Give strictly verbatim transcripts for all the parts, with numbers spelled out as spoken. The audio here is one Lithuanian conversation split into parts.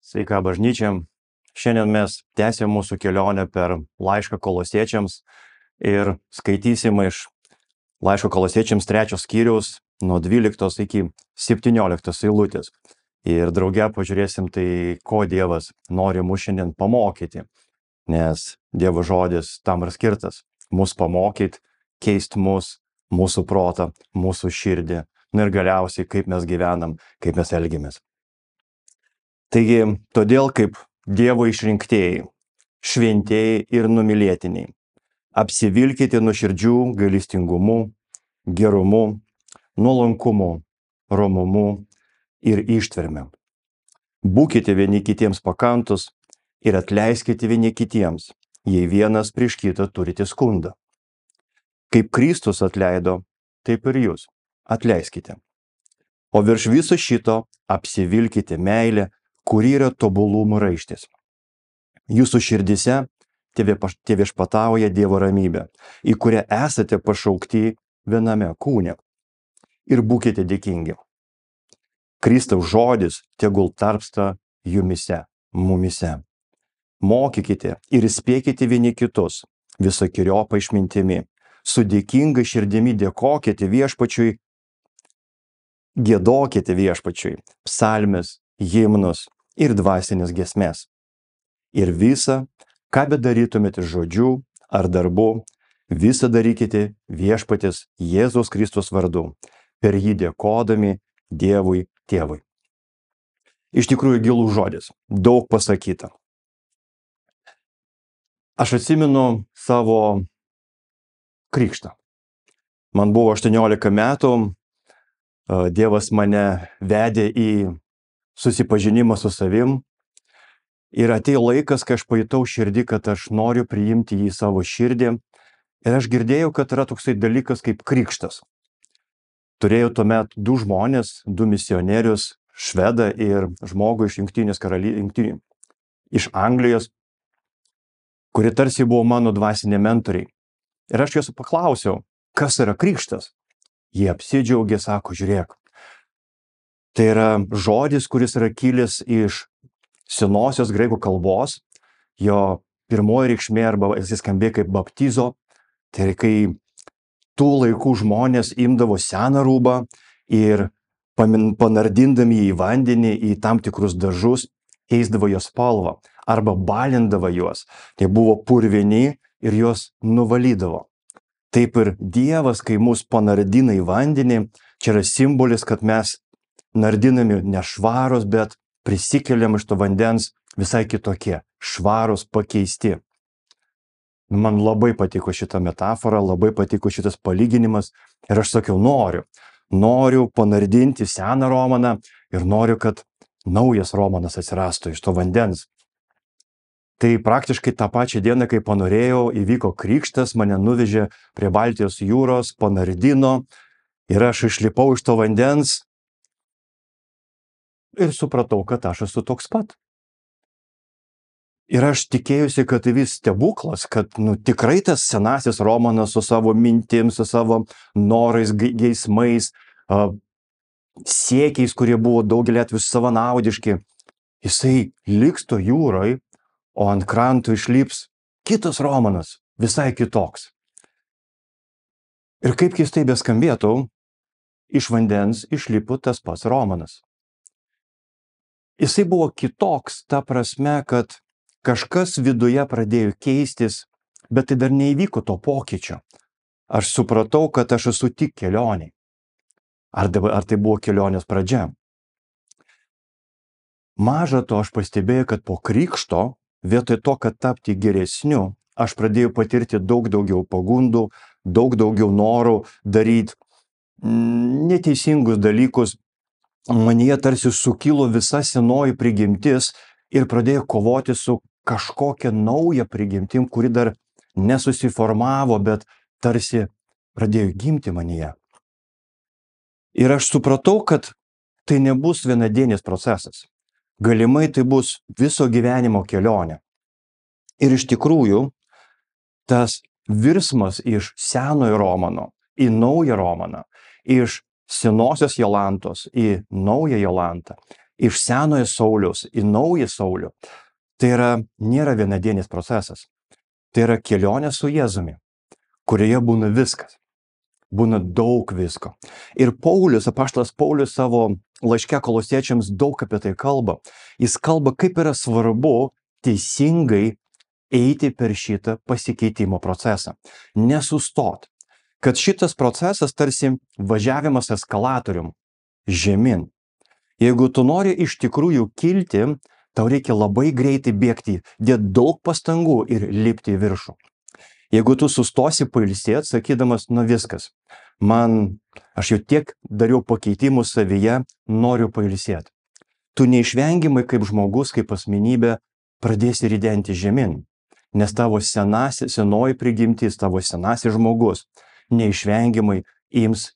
Sveika bažnyčia. Šiandien mes tęsime mūsų kelionę per laišką Kolosiečiams ir skaitysime iš laiško Kolosiečiams trečios skyriaus nuo dvyliktos iki septynioliktos eilutės. Ir drauge pažiūrėsim tai, ko Dievas nori mus šiandien pamokyti, nes Dievo žodis tam ir skirtas - mus pamokyti, keisti mus, mūsų protą, mūsų širdį, na ir galiausiai kaip mes gyvenam, kaip mes elgiamės. Taigi, todėl kaip Dievo išrinktieji, šventieji ir numylėtiniai, apsivilkite nuoširdžių gailestingumu, gerumu, nuolankumu, romumu ir ištverme. Būkite vieni kitiems pakantus ir atleiskite vieni kitiems, jei vienas prieš kitą turite skundą. Kaip Kristus atleido, taip ir jūs atleiskite. O virš viso šito apsivilkite meilę, kuri yra tobulumo raištis. Jūsų širdise teviešpatauja Dievo ramybė, į kurią esate pašaukti viename kūne. Ir būkite dėkingi. Kristaus žodis tegul tarpsta jumise, mumise. Mokykite ir įspėkite vieni kitus visokeriopą išmintimi. Su dėkinga širdimi dėkokite viešpačiui, giedokite viešpačiui psalmes, himnus ir dvasinės giesmes. Ir visa, ką bedarytumėte žodžiu ar darbu, visą darykite viešpaties Jėzaus Kristus vardu, per jį dėkodami Dievui Tėvui. Iš tikrųjų gilus žodis, daug pasakyta. Aš atsimenu savo krikštą. Man buvo aštuoniolika metų, Dievas mane vedė į susipažinimą su savim ir atėjo laikas, kai aš pajutau širdį, kad aš noriu priimti jį į savo širdį ir aš girdėjau, kad yra toksai dalykas kaip krikštas. Turėjau tuomet du žmonės, du misionierius, švedą ir žmogų iš Jungtinės karalystės, iš Anglijos, kurie tarsi buvo mano dvasiniai mentoriai. Ir aš juos paklausiau, kas yra krikštas. Jie apsidžiaugė, sako, žiūrėk. Tai yra žodis, kuris yra kilęs iš senosios graikų kalbos. Jo pirmoji reikšmė arba jis skambėjo kaip baptizo. Tai yra, kai tų laikų žmonės imdavo seną rūbą ir panardindami jį į vandenį, į tam tikrus dažus, keisdavo jos spalvą arba balindavo juos. Tai buvo purvini ir juos nuvalydavo. Taip ir Dievas, kai mus panardina į vandenį, čia yra simbolis, kad mes nardinami ne švarus, bet prisikeliam iš to vandens visai kitokie, švarus, pakeisti. Man labai patiko šita metafora, labai patiko šitas palyginimas ir aš sakiau, noriu, noriu panardinti seną Romaną ir noriu, kad naujas Romanas atsirastų iš to vandens. Tai praktiškai tą pačią dieną, kai panorėjau, įvyko krikštas, mane nuvežė prie Baltijos jūros, panardino ir aš išlipau iš to vandens ir supratau, kad aš esu toks pat. Ir aš tikėjusi, kad tai vis stebuklas, kad nu, tikrai tas senasis Romanas su savo mintim, su savo norais, geismais, uh, siekiais, kurie buvo daugelį atvejų savanaudiški, jisai liks to jūroj, o ant krantų išlips kitas Romanas, visai kitoks. Ir kaip keistai beskambėtų, iš vandens išlipo tas pats Romanas. Jisai buvo kitoks, ta prasme, kad kažkas viduje pradėjo keistis, bet tai dar neįvyko to pokyčio. Aš supratau, kad aš esu tik kelioniai. Ar, ar tai buvo kelionės pradžia? Maža to, aš pastebėjau, kad po krikšto, vietoj to, kad tapti geresniu, aš pradėjau patirti daug daugiau pagundų, daug daugiau norų daryti neteisingus dalykus. Manyje tarsi sukilo visa senoji prigimtis ir pradėjau kovoti su kažkokia nauja prigimtim, kuri dar nesusiformavo, bet tarsi pradėjo gimti manyje. Ir aš supratau, kad tai nebus vienadienis procesas. Galimai tai bus viso gyvenimo kelionė. Ir iš tikrųjų, tas virsmas iš senojo Romano į naują Romaną, iš senosios Jolantos į naują Jolantą, iš senojo Sauliaus į naują Saulių, tai yra, nėra vienadienis procesas. Tai yra kelionė su Jėzumi, kurioje būna viskas. Būna daug visko. Ir Paulius, apaštalas Paulius savo laiške Kolosiečiams daug apie tai kalba. Jis kalba, kaip yra svarbu teisingai eiti per šitą pasikeitimo procesą. Nesustot. Kad šitas procesas tarsi važiavimas eskalatorium žemyn. Jeigu tu nori iš tikrųjų kilti, tau reikia labai greitai bėgti, dėti daug pastangų ir lipti į viršų. Jeigu tu sustosi pailsėti, sakydamas, nu viskas, man, aš jau tiek dariau pakeitimų savyje, noriu pailsėti. Tu neišvengiamai kaip žmogus, kaip asmenybė, pradėsi ridenti žemyn, nes tavo senasi, senoji prigimtis, tavo senasis žmogus neišvengiamai ims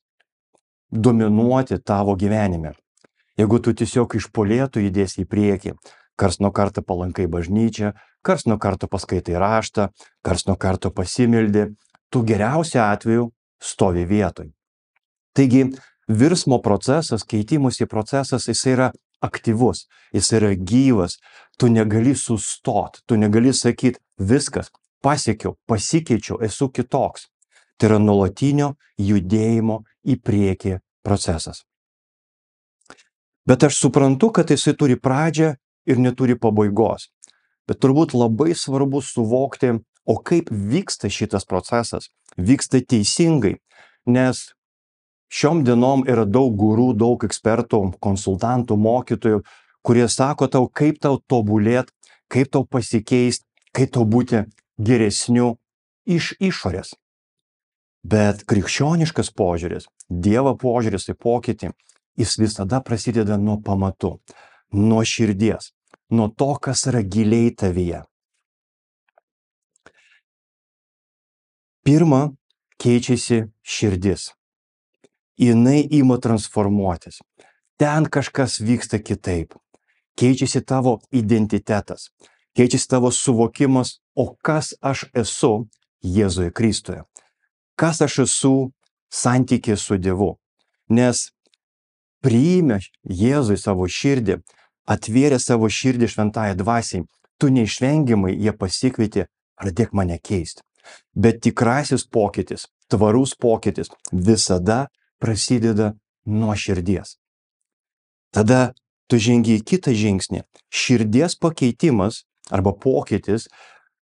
dominuoti tavo gyvenime. Jeigu tu tiesiog iš polėtų judėsi į priekį, kars nuo karto palankai bažnyčią, kars nuo karto paskaitai raštą, kars nuo karto pasimildi, tu geriausiu atveju stovi vietoj. Taigi, virsmo procesas, keitimosi procesas, jis yra aktyvus, jis yra gyvas, tu negali sustot, tu negali sakyti, viskas, pasiekiau, pasikeičiau, esu kitoks. Tai yra nuolatinio judėjimo į priekį procesas. Bet aš suprantu, kad jisai turi pradžią ir neturi pabaigos. Bet turbūt labai svarbu suvokti, o kaip vyksta šitas procesas. Vyksta teisingai, nes šiom dienom yra daug gurų, daug ekspertų, konsultantų, mokytojų, kurie sako tau, kaip tau tobulėt, kaip tau pasikeisti, kaip tau būti geresniu iš išorės. Bet krikščioniškas požiūris, Dievo požiūris į pokytį, jis visada prasideda nuo pamatų, nuo širdies, nuo to, kas yra giliai tavyje. Pirma, keičiasi širdis. Jinai ima transformuotis. Ten kažkas vyksta kitaip. Keičiasi tavo identitetas. Keičiasi tavo suvokimas, o kas aš esu Jėzuje Kristuje. Kas aš esu santykė su Dievu. Nes priėmė Jėzui savo širdį, atvėrė savo širdį šventąją dvasiai, tu neišvengiamai jie pasikvietė, pradėk mane keisti. Bet tikrasis pokytis, tvarus pokytis visada prasideda nuo širdies. Tada tu žengi į kitą žingsnį. Širdies pakeitimas arba pokytis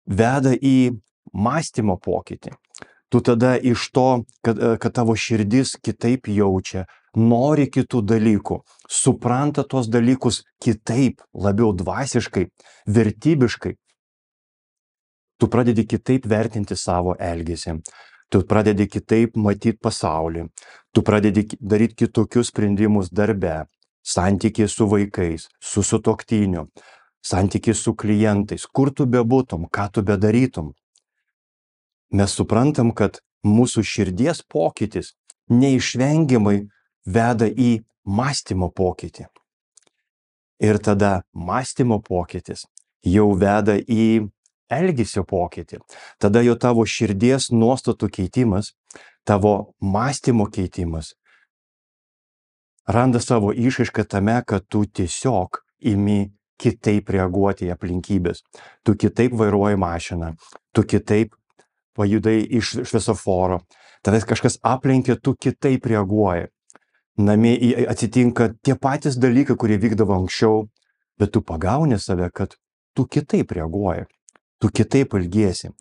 veda į mąstymo pokytį. Tu tada iš to, kad, kad tavo širdis kitaip jaučia, nori kitų dalykų, supranta tos dalykus kitaip, labiau dvasiškai, vertybiškai. Tu pradedi kitaip vertinti savo elgesį, tu pradedi kitaip matyti pasaulį, tu pradedi daryti kitokius sprendimus darbe, santykiai su vaikais, su sutuoktiniu, santykiai su klientais, kur tu bebūtum, ką tu bedarytum. Mes suprantam, kad mūsų širdies pokytis neišvengiamai veda į mąstymo pokytį. Ir tada mąstymo pokytis jau veda į elgesio pokytį. Tada jau tavo širdies nuostatų keitimas, tavo mąstymo keitimas randa savo išraišką tame, kad tu tiesiog imi kitaip reaguoti į aplinkybės. Tu kitaip vairuoji mašiną, tu kitaip pajudai iš šviesoforo, tavęs kažkas aplenkia, tu kitaip reaguoji. Namie atsitinka tie patys dalykai, kurie vykdavo anksčiau, bet tu pagauni save, kad tu kitaip reaguoji, tu kitaip elgiesi.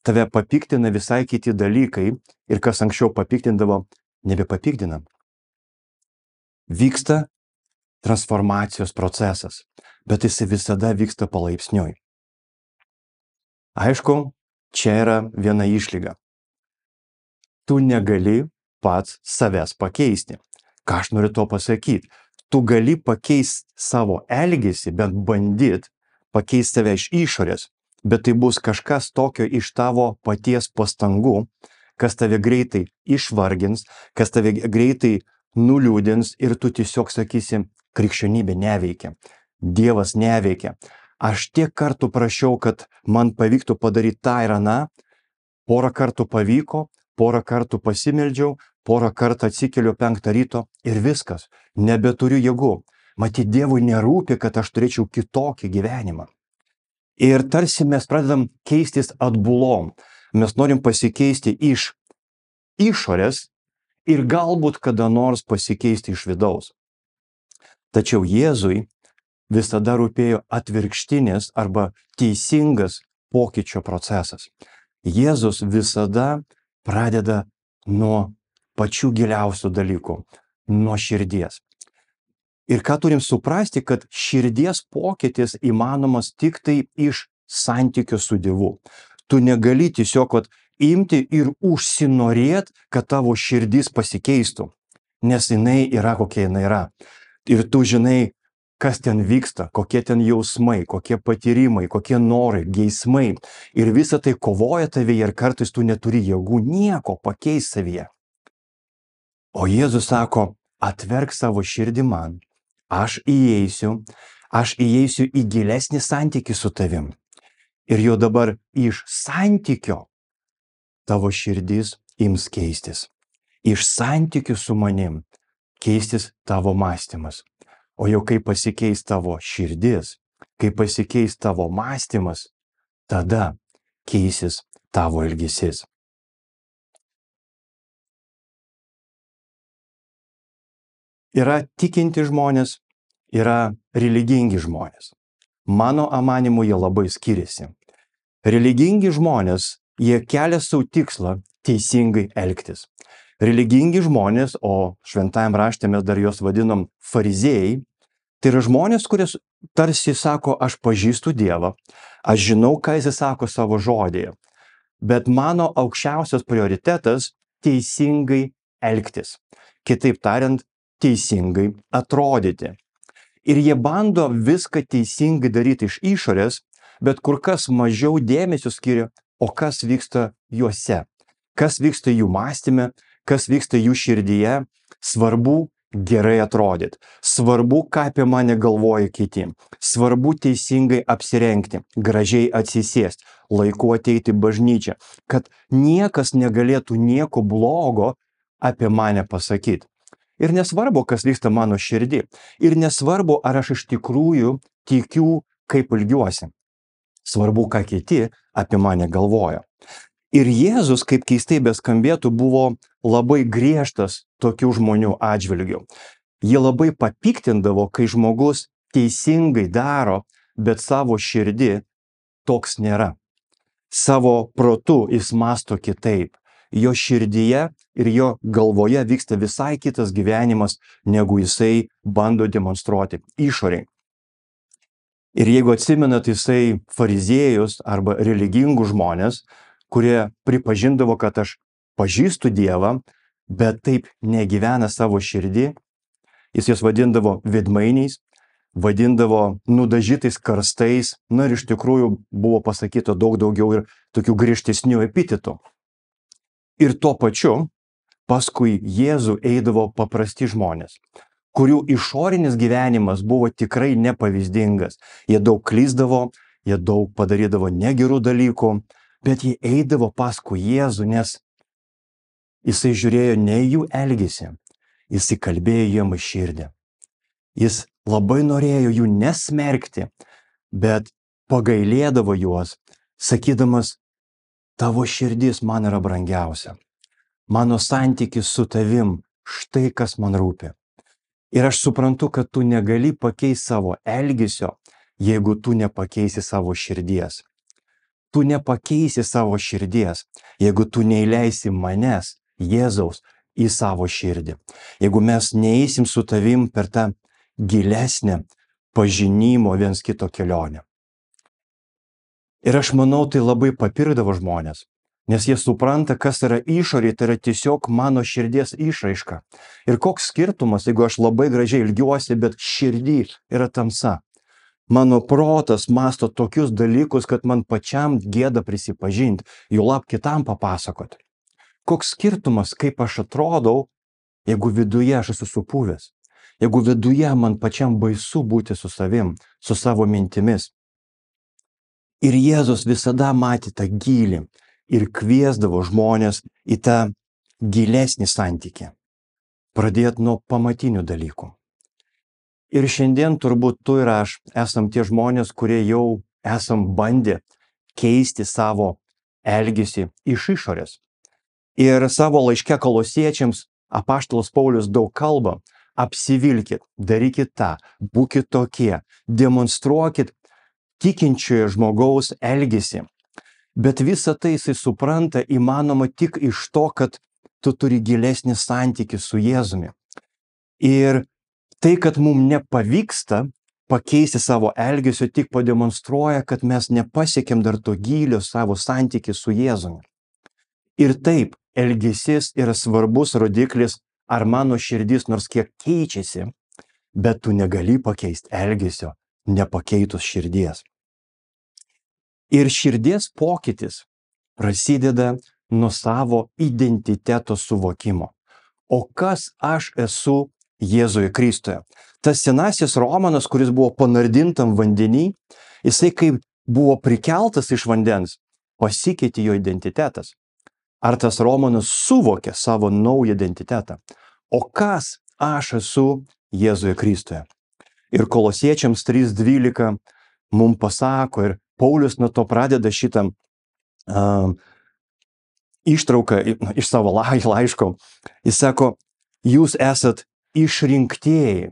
Tave papiktina visai kiti dalykai ir kas anksčiau papiktindavo, nebepapiktina. Vyksta transformacijos procesas, bet jis visada vyksta palaipsniui. Aišku, čia yra viena išlyga. Tu negali pats savęs pakeisti. Ką aš noriu to pasakyti? Tu gali pakeisti savo elgesį, bent bandyt pakeisti save iš išorės, bet tai bus kažkas tokio iš tavo paties pastangų, kas tave greitai išvargins, kas tave greitai nuliūdins ir tu tiesiog sakysi, krikščionybė neveikia, Dievas neveikia. Aš tiek kartų prašiau, kad man pavyktų padaryti tą ir aną, porą kartų pavyko, porą kartų pasimeldžiau, porą kartų atsikeliu penktą ryto ir viskas, nebeturiu jėgų. Matyt, Dievui nerūpi, kad aš turėčiau kitokį gyvenimą. Ir tarsi mes pradedam keistis atbulom. Mes norim pasikeisti iš išorės ir galbūt kada nors pasikeisti iš vidaus. Tačiau Jėzui visada rūpėjo atvirkštinis arba teisingas pokyčio procesas. Jėzus visada pradeda nuo pačių giliausių dalykų, nuo širdies. Ir ką turim suprasti, kad širdies pokytis įmanomas tik tai iš santykio su Dievu. Tu negali tiesiog vat, imti ir užsinorėt, kad tavo širdis pasikeistų, nes jinai yra kokia jinai yra. Ir tu žinai, kas ten vyksta, kokie ten jausmai, kokie patyrimai, kokie norai, geismai. Ir visa tai kovoja tavyje ir kartais tu neturi jėgų nieko pakeisti savyje. O Jėzus sako, atverk savo širdį man, aš įeisiu, aš įeisiu į gilesnį santykį su tavim. Ir jau dabar iš santykio tavo širdis ims keistis. Iš santykių su manim keistis tavo mąstymas. O jau kai pasikeis tavo širdis, kai pasikeis tavo mąstymas, tada keisis tavo elgesys. Yra tikinti žmonės, yra religingi žmonės. Mano amanimu jie labai skiriasi. Religingi žmonės, jie kelia savo tikslą teisingai elgtis. Religingi žmonės, o šventajam rašte mes dar juos vadinam fariziejai, tai yra žmonės, kurie tarsi sako, aš pažįstu Dievą, aš žinau, ką jis sako savo žodėje, bet mano aukščiausias prioritetas teisingai elgtis. Kitaip tariant, teisingai atrodyti. Ir jie bando viską teisingai daryti iš išorės, bet kur kas mažiau dėmesio skiria, o kas vyksta juose, kas vyksta jų mąstyme, kas vyksta jų širdyje. Svarbu gerai atrodyti, svarbu, ką apie mane galvoja kiti, svarbu teisingai apsirengti, gražiai atsisėsti, laiku ateiti į bažnyčią, kad niekas negalėtų nieko blogo apie mane pasakyti. Ir nesvarbu, kas vyksta mano širdį. Ir nesvarbu, ar aš iš tikrųjų tikiu, kaip ilgiuosi. Svarbu, ką kiti apie mane galvoja. Ir Jėzus, kaip keistai beskambėtų, buvo labai griežtas tokių žmonių atžvilgių. Jie labai papiktindavo, kai žmogus teisingai daro, bet savo širdį toks nėra. Savo protu jis mąsto kitaip. Jo širdyje ir jo galvoje vyksta visai kitas gyvenimas, negu jisai bando demonstruoti išoriai. Ir jeigu atsimenat, jisai fariziejus arba religingus žmonės, kurie pripažindavo, kad aš pažįstu Dievą, bet taip negyvena savo širdį, jis jas vadindavo veidmainiais, vadindavo nudažytais karstais, na ir iš tikrųjų buvo pasakyta daug daugiau ir tokių griežtesnių epitetų. Ir tuo pačiu paskui Jėzų eidavo paprasti žmonės, kurių išorinis gyvenimas buvo tikrai nepavyzdingas. Jie daug klysdavo, jie daug padarydavo negerų dalykų, bet jie eidavo paskui Jėzų, nes jisai žiūrėjo ne jų elgesį, jisai kalbėjo jiem į širdį. Jis labai norėjo jų nesmerkti, bet pagailėdavo juos, sakydamas, tavo širdis man yra brangiausia. Mano santykis su tavim, štai kas man rūpi. Ir aš suprantu, kad tu negali pakeisti savo elgesio, jeigu tu nepakeisi savo širdies. Tu nepakeisi savo širdies, jeigu tu neįleisi manęs, Jėzaus, į savo širdį. Jeigu mes neeisim su tavim per tą gilesnę pažinimo viens kito kelionę. Ir aš manau, tai labai papirdavo žmonės, nes jie supranta, kas yra išorė, tai yra tiesiog mano širdies išraiška. Ir koks skirtumas, jeigu aš labai gražiai ilgiuosi, bet širdį yra tamsa. Mano protas masto tokius dalykus, kad man pačiam gėda prisipažinti, jų lab kitam papasakoti. Koks skirtumas, kaip aš atrodau, jeigu viduje aš esu supuvęs, jeigu viduje man pačiam baisu būti su savim, su savo mintimis. Ir Jėzus visada matė tą gylį ir kviesdavo žmonės į tą gilesnį santykį. Pradėt nuo pamatinių dalykų. Ir šiandien turbūt tu ir aš esam tie žmonės, kurie jau esam bandę keisti savo elgesį iš išorės. Ir savo laiške Kolosiečiams apaštalas Paulius daug kalba: apsivilkit, darykit tą, būkit tokie, demonstruokit tikinčiojo žmogaus elgesį. Bet visą tai jisai supranta įmanoma tik iš to, kad tu turi gilesnį santykį su Jėzumi. Ir tai, kad mums nepavyksta pakeisti savo elgesio, tik pademonstruoja, kad mes nepasiekėm dar to gylio savo santykį su Jėzumi. Ir taip, elgesys yra svarbus rodiklis, ar mano širdis nors kiek keičiasi, bet tu negali pakeisti elgesio, nepakeitus širdies. Ir širdies pokytis prasideda nuo savo identiteto suvokimo. O kas aš esu Jėzuje Kristuje? Tas senasis Romanas, kuris buvo panardintam vandenį, jisai kaip buvo prikeltas iš vandens, pasikeitė jo identitetas. Ar tas Romanas suvokė savo naują identitetą? O kas aš esu Jėzuje Kristuje? Ir Kolosiečiams trys dvylika mums pasako, ir Paulius nuo to pradeda šitą uh, ištrauką iš savo laiško. Jis sako, jūs esat išrinktieji.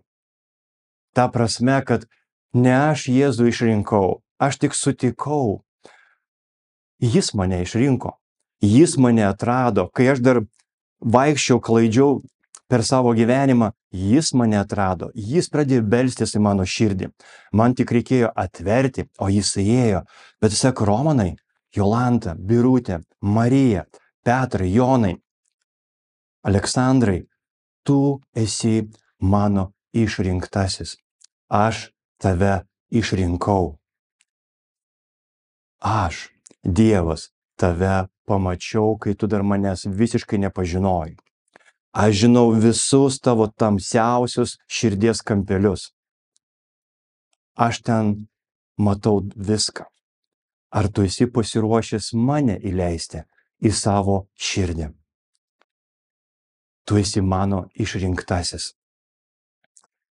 Ta prasme, kad ne aš Jėzų išrinkau, aš tik sutikau. Jis mane išrinko, jis mane atrado. Kai aš dar vaikščiau, klaidžiau per savo gyvenimą, jis mane atrado, jis pradėjo belstis į mano širdį. Man tik reikėjo atverti, o jis įėjo. Bet jis sako, Romanai, Jolanta, Birutė, Marija, Petrai, Jonai, Aleksandrai, tu esi mano išrinktasis. Aš tave išrinkau. Aš, Dievas, tave pamačiau, kai tu dar manęs visiškai nepažinojai. Aš žinau visus tavo tamsiausius širdies kampelius. Aš ten matau viską. Ar tu esi pasiruošęs mane įleisti į savo širdį? Tu esi mano išrinktasis.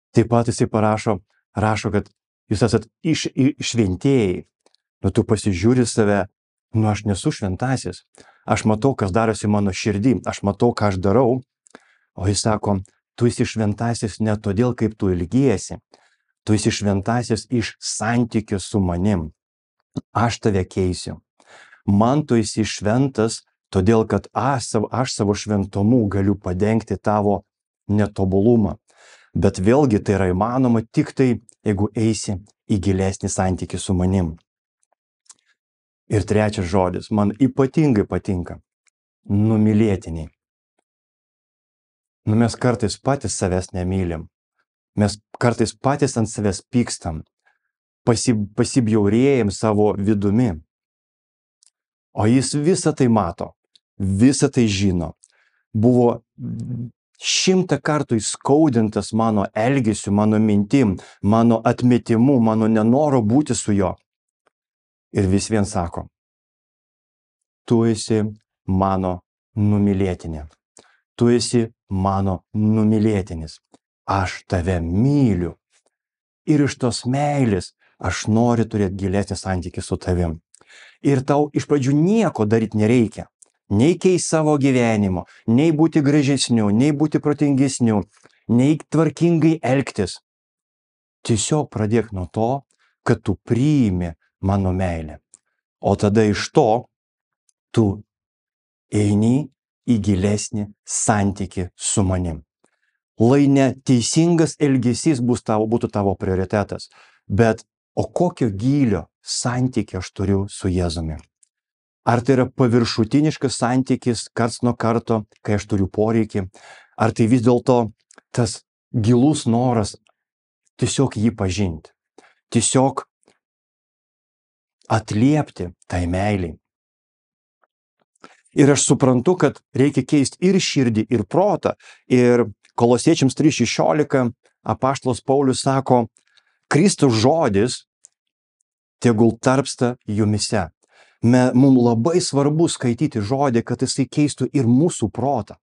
Taip pat jisai parašo, rašo, kad jūs esat iš, šventėjai. Nu, tu pasižiūri save, nu, aš nesu šventasis. Aš matau, kas darosi mano širdį, aš matau, ką aš darau. O jis sako, tu esi šventasis ne todėl, kaip tu ilgiesi. Tu esi šventasis iš santykių su manim. Aš tave keisiu. Man tu esi šventas, todėl, kad aš savo, aš savo šventumu galiu padengti tavo netobulumą. Bet vėlgi tai yra įmanoma tik tai, jeigu eisi į gilesnį santykį su manim. Ir trečias žodis, man ypatingai patinka. Numylėtiniai. Nu, mes kartais patys savęs nemylim. Mes kartais patys ant savęs pykstam. Pasi, pasibjaurėjim savo vidumi. O jis visą tai mato. Visą tai žino. Buvo šimtą kartų įskaudintas mano elgesiu, mano mintim, mano atmetimu, mano nenoro būti su juo. Ir vis vien sako, tu esi mano numylėtinė. Tu esi mano numylėtinis. Aš tave myliu. Ir iš tos meilės aš noriu turėti gilesnį santykį su tavim. Ir tau iš pradžių nieko daryti nereikia. Nei keisti savo gyvenimo, nei būti gražesniu, nei būti protingesniu, nei tvarkingai elgtis. Tiesiog pradėk nuo to, kad tu priimi mano meilę. O tada iš to tu eini į gilesnį santykį su manim. Lai ne teisingas elgesys bus tavo, būtų tavo prioritetas, bet o kokio gylio santykį aš turiu su Jėzumi? Ar tai yra paviršutiniškas santykis karts nuo karto, kai aš turiu poreikį? Ar tai vis dėlto tas gilus noras tiesiog jį pažinti? Tiesiog atliepti tai meiliai. Ir aš suprantu, kad reikia keisti ir širdį, ir protą. Ir Kolosiečiams trys šešiolika apaštalas Paulius sako, Kristus žodis tegul tarpsta jumise. Mums labai svarbu skaityti žodį, kad jisai keistų ir mūsų protą.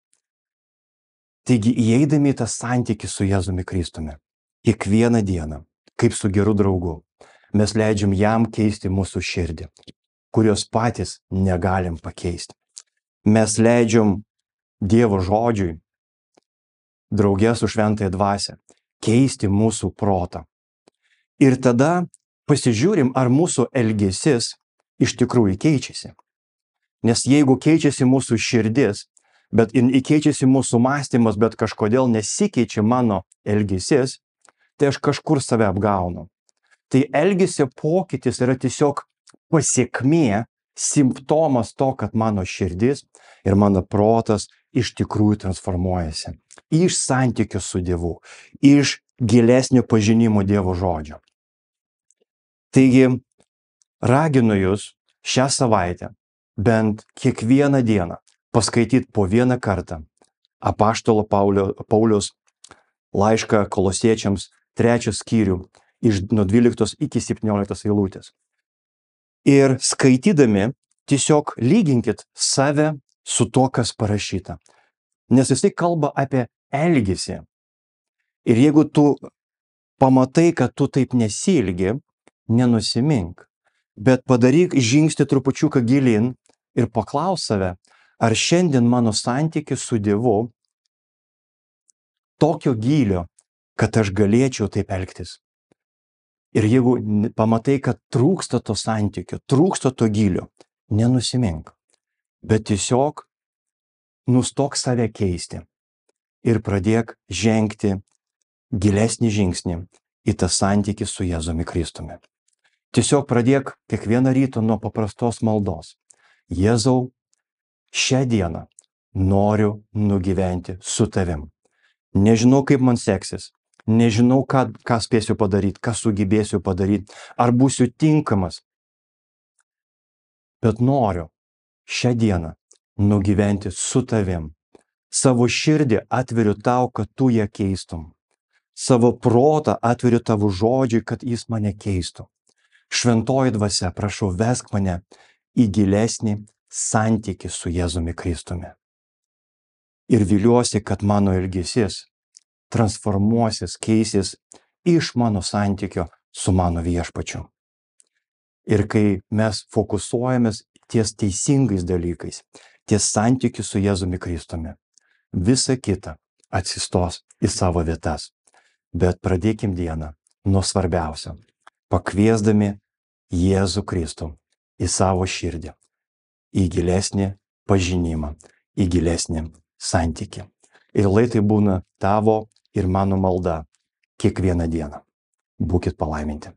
Taigi, įeidami į tą santykį su Jėzumi Kristumi, kiekvieną dieną, kaip su geru draugu, mes leidžiam jam keisti mūsų širdį, kurios patys negalim pakeisti. Mes leidžiam Dievo žodžiui, drauge su šventąja dvasia, keisti mūsų protą. Ir tada pasižiūrim, ar mūsų elgesys iš tikrųjų keičiasi. Nes jeigu keičiasi mūsų širdis, bet keičiasi mūsų mąstymas, bet kažkodėl nesikeičia mano elgesys, tai aš kažkur save apgaunu. Tai elgesio pokytis yra tiesiog pasiekmė, simptomas to, kad mano širdis ir mano protas iš tikrųjų transformuojasi. Iš santykių su Dievu, iš gilesnio pažinimo Dievo žodžio. Taigi, raginu jūs šią savaitę bent kiekvieną dieną paskaityti po vieną kartą apaštalo Pauliaus laišką Kolosiečiams trečią skyrių iš nuo dvyliktos iki septynioliktos eilutės. Ir skaitydami tiesiog lyginkit save su to, kas parašyta. Nes jisai kalba apie elgesį. Ir jeigu tu pamatai, kad tu taip nesielgi, nenusimink, bet padaryk žingsnį trupučiuką gilin ir paklaus save, ar šiandien mano santykis su Dievu tokio gylio, kad aš galėčiau taip elgtis. Ir jeigu pamatai, kad trūksta to santykio, trūksta to gylio, nenusimink, bet tiesiog nustok save keisti ir pradėk žengti gilesnį žingsnį į tą santykį su Jėzumi Kristumi. Tiesiog pradėk kiekvieną rytą nuo paprastos maldos. Jėzau, šią dieną noriu nugyventi su tavim. Nežinau, kaip man seksis. Nežinau, ką, ką spėsiu padaryti, ką sugebėsiu padaryti, ar būsiu tinkamas. Bet noriu šią dieną nugyventi su tavim. Savo širdį atveriu tau, kad tu ją keistum. Savo protą atveriu tavo žodžiui, kad jis mane keistų. Šventoji dvasia, prašau, vesk mane į gilesnį santykį su Jėzumi Kristumi. Ir viliuosi, kad mano elgesys transformuosis, keisis iš mano santykio su mano viešpačiu. Ir kai mes fokusuojamės ties teisingais dalykais, ties santykiu su Jėzumi Kristumi, visa kita atsistos į savo vietas. Bet pradėkim dieną nuo svarbiausio, pakviesdami Jėzų Kristų į savo širdį, į gilesnį pažinimą, į gilesnį santykį. Ir lai tai būna tavo ir mano malda kiekvieną dieną. Būkit palaiminti.